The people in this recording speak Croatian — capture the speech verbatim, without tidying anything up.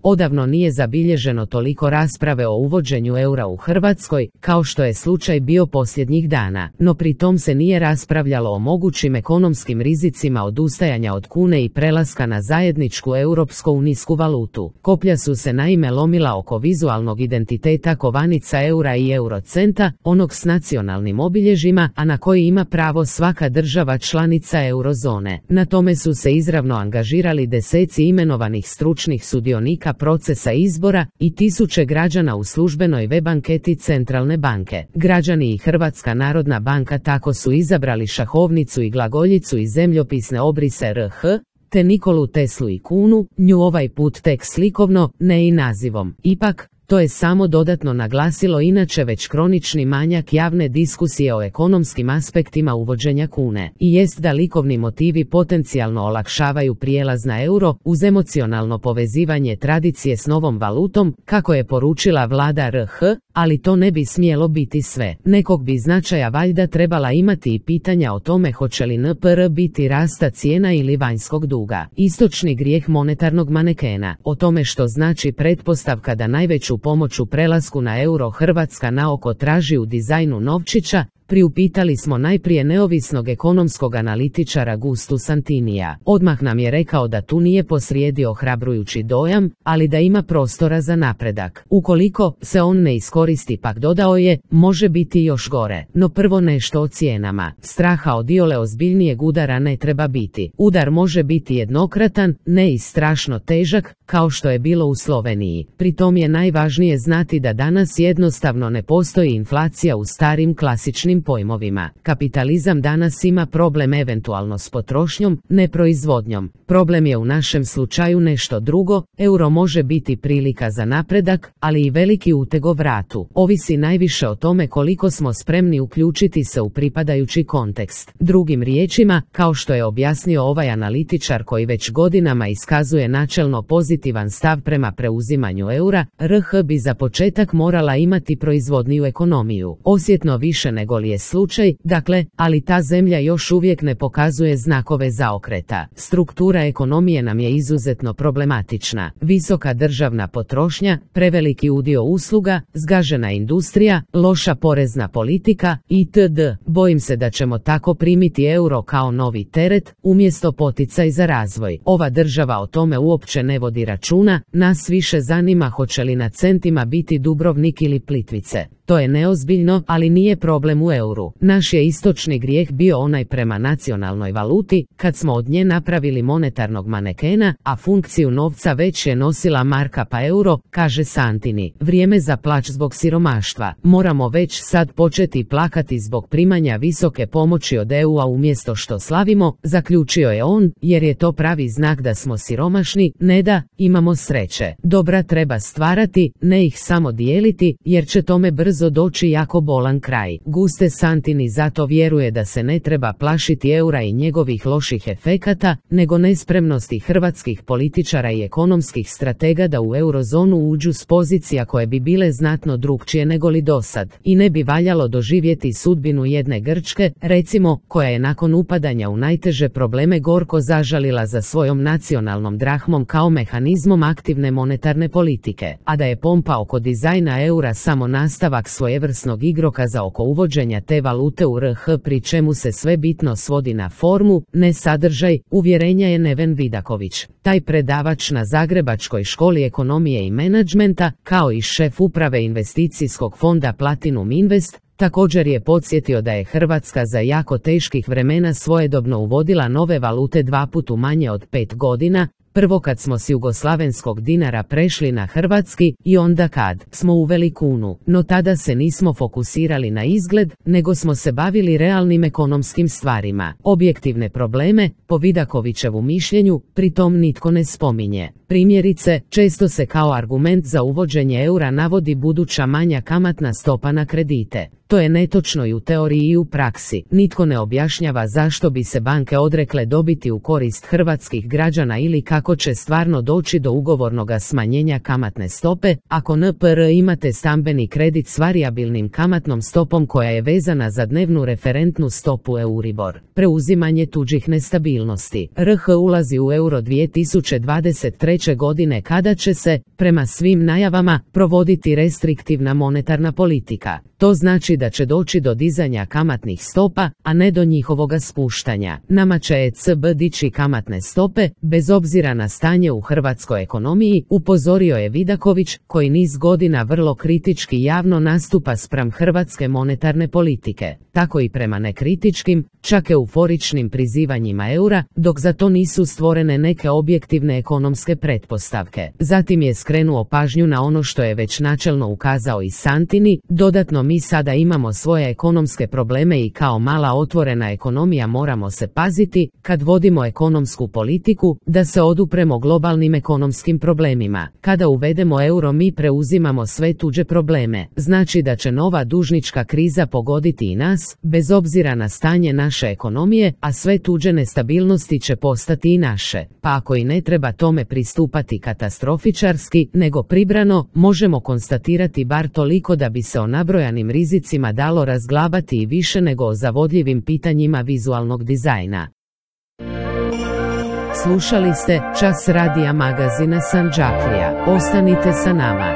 Odavno nije zabilježeno toliko rasprave o uvođenju eura u Hrvatskoj, kao što je slučaj bio posljednjih dana, no pri tom se nije raspravljalo o mogućim ekonomskim rizicima odustajanja od kune i prelaska na zajedničku europsko-unijsku valutu. Koplja su se naime lomila oko vizualnog identiteta kovanica eura i eurocenta, onog s nacionalnim obilježjima, a na koji ima pravo svaka država članica eurozone. Na tome su se izravno angažirali deseci imenovanih stručnih sudionika procesa izbora i tisuće građana u službenoj web anketi Centralne banke. Građani i Hrvatska narodna banka tako su izabrali šahovnicu i glagoljicu i zemljopisne obrise R H, te Nikolu Teslu i kunu, nju ovaj put tek slikovno, ne i nazivom. Ipak, to je samo dodatno naglasilo inače već kronični manjak javne diskusije o ekonomskim aspektima uvođenja kune. I jest da likovni motivi potencijalno olakšavaju prijelaz na euro uz emocionalno povezivanje tradicije s novom valutom, kako je poručila vlada R H, ali to ne bi smjelo biti sve. Nekog bi značaja valjda trebala imati i pitanja o tome hoće li N P R biti rasta cijena ili vanjskog duga. Istočni grijeh monetarnog manekena. O tome što znači pretpostavka da najveću pomoć u prelasku na euro Hrvatska naoko traži u dizajnu novčića, priupitali smo najprije neovisnog ekonomskog analitičara Gustu Santinija. Odmah nam je rekao da tu nije posrijedi ohrabrujući dojam, ali da ima prostora za napredak. Ukoliko se on ne iskoristi, pak dodao je, može biti još gore. No prvo nešto o cijenama. Straha od iole ozbiljnijeg udara ne treba biti. Udar može biti jednokratan, ne i strašno težak, kao što je bilo u Sloveniji. Pri tom je najvažnije znati da danas jednostavno ne postoji inflacija u starim klasičnim pojmovima. Kapitalizam danas ima problem eventualno s potrošnjom, ne proizvodnjom. Problem je u našem slučaju nešto drugo, euro može biti prilika za napredak, ali i veliki uteg o vratu. Ovisi najviše o tome koliko smo spremni uključiti se u pripadajući kontekst. Drugim riječima, kao što je objasnio ovaj analitičar koji već godinama iskazuje načelno pozitivan stav prema preuzimanju eura, R H bi za početak morala imati proizvodniju ekonomiju. Osjetno više nego li je slučaj, dakle, ali ta zemlja još uvijek ne pokazuje znakove zaokreta. Struktura ekonomije nam je izuzetno problematična. Visoka državna potrošnja, preveliki udio usluga, zgažena industrija, loša porezna politika itd. Bojim se da ćemo tako primiti euro kao novi teret, umjesto poticaj za razvoj. Ova država o tome uopće ne vodi računa, nas više zanima hoće li na centima biti Dubrovnik ili Plitvice. To je neozbiljno, ali nije problem u euru. Naš je istočni grijeh bio onaj prema nacionalnoj valuti, kad smo od nje napravili monetarnog manekena, a funkciju novca već je nosila marka pa euro, kaže Santini. Vrijeme za plač zbog siromaštva. Moramo već sad početi plakati zbog primanja visoke pomoći od E U-a umjesto što slavimo, zaključio je on, jer je to pravi znak da smo siromašni, ne da imamo sreće. Dobra treba stvarati, ne ih samo dijeliti, jer će tome brzo doći jako bolan kraj. Guste Santini zato vjeruje da se ne treba plašiti eura i njegovih loših efekata, nego nespremnosti hrvatskih političara i ekonomskih stratega da u eurozonu uđu s pozicija koje bi bile znatno drukčije nego li dosad. I ne bi valjalo doživjeti sudbinu jedne Grčke, recimo, koja je nakon upadanja u najteže probleme gorko zažalila za svojom nacionalnom drahmom kao mehanizmom aktivne monetarne politike, a da je pompa oko dizajna eura samo nastavak svojevrsnog igrokaza oko uvođenja te valute u R H, pri čemu se sve bitno svodi na formu, ne sadržaj, uvjerenja je Neven Vidaković. Taj predavač na Zagrebačkoj školi ekonomije i menadžmenta, kao i šef uprave investicijskog fonda Platinum Invest, također je podsjetio da je Hrvatska za jako teških vremena svojedobno uvodila nove valute dva put u manje od pet godina, prvo kad smo s jugoslavenskog dinara prešli na hrvatski i onda kad smo uveli kunu, no tada se nismo fokusirali na izgled, nego smo se bavili realnim ekonomskim stvarima. Objektivne probleme, po Vidakovićevu mišljenju, pritom nitko ne spominje. Primjerice, često se kao argument za uvođenje eura navodi buduća manja kamatna stopa na kredite. To je netočno i u teoriji i u praksi. Nitko ne objašnjava zašto bi se banke odrekle dobiti u korist hrvatskih građana ili kako će stvarno doći do ugovornog smanjenja kamatne stope, ako N P R imate stambeni kredit s varijabilnim kamatnom stopom koja je vezana za dnevnu referentnu stopu Euribor. Preuzimanje tuđih nestabilnosti. R H ulazi u euro dvije tisuće dvadeset treće godine kada će se, prema svim najavama, provoditi restriktivna monetarna politika. To znači da će doći do dizanja kamatnih stopa, a ne do njihovoga spuštanja. Nama će E C B dići kamatne stope, bez obzira na stanje u hrvatskoj ekonomiji, upozorio je Vidaković, koji niz godina vrlo kritički javno nastupa spram hrvatske monetarne politike. Tako i prema nekritičkim, čak euforičnim prizivanjima eura, dok za to nisu stvorene neke objektivne ekonomske pretpostavke. Zatim je skrenuo pažnju na ono što je već načelno ukazao i Santini, dodatno mi sada imamo svoje ekonomske probleme i kao mala otvorena ekonomija moramo se paziti, kad vodimo ekonomsku politiku, da se odupremo globalnim ekonomskim problemima. Kada uvedemo euro mi preuzimamo sve tuđe probleme, znači da će nova dužnička kriza pogoditi i nas, bez obzira na stanje naše ekonomije, a sve tuđe nestabilnosti će postati i naše. Pa ako i ne treba tome pristupati katastrofičarski, nego pribrano, možemo konstatirati bar toliko da bi se o nabrojanim rizicima dalo razglabati i više nego o zavodljivim pitanjima vizualnog dizajna. Slušali ste Čas radija magazina Sandžaklija. Ostanite sa nama.